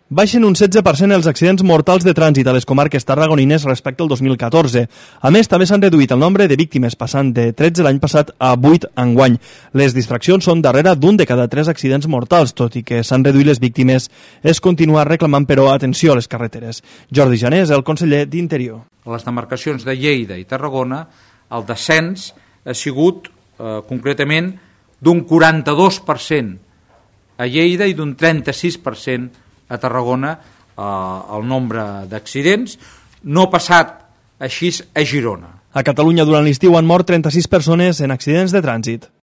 Baixen un 16% els accidents mortals de trànsit a les comarques tarragonines respecte al 2014. A més, també s'han reduït el nombre de víctimes, passant de 13 l'any passat a 8 enguany. Les distraccions són darrere d'un de cada 3 accidents mortals, tot i que s'han reduït les víctimes, es continua reclamant, però, atenció a les carreteres. Jordi Janés, el conseller d'Interior. A les demarcacions de Lleida i Tarragona, el descens ha sigut, concretament, d'un 42% a Lleida i d'un 36% a Tarragona, el nombre d'accidents. No ha passat així a Girona. A Catalunya durant l'estiu han mort 36 persones en accidents de trànsit.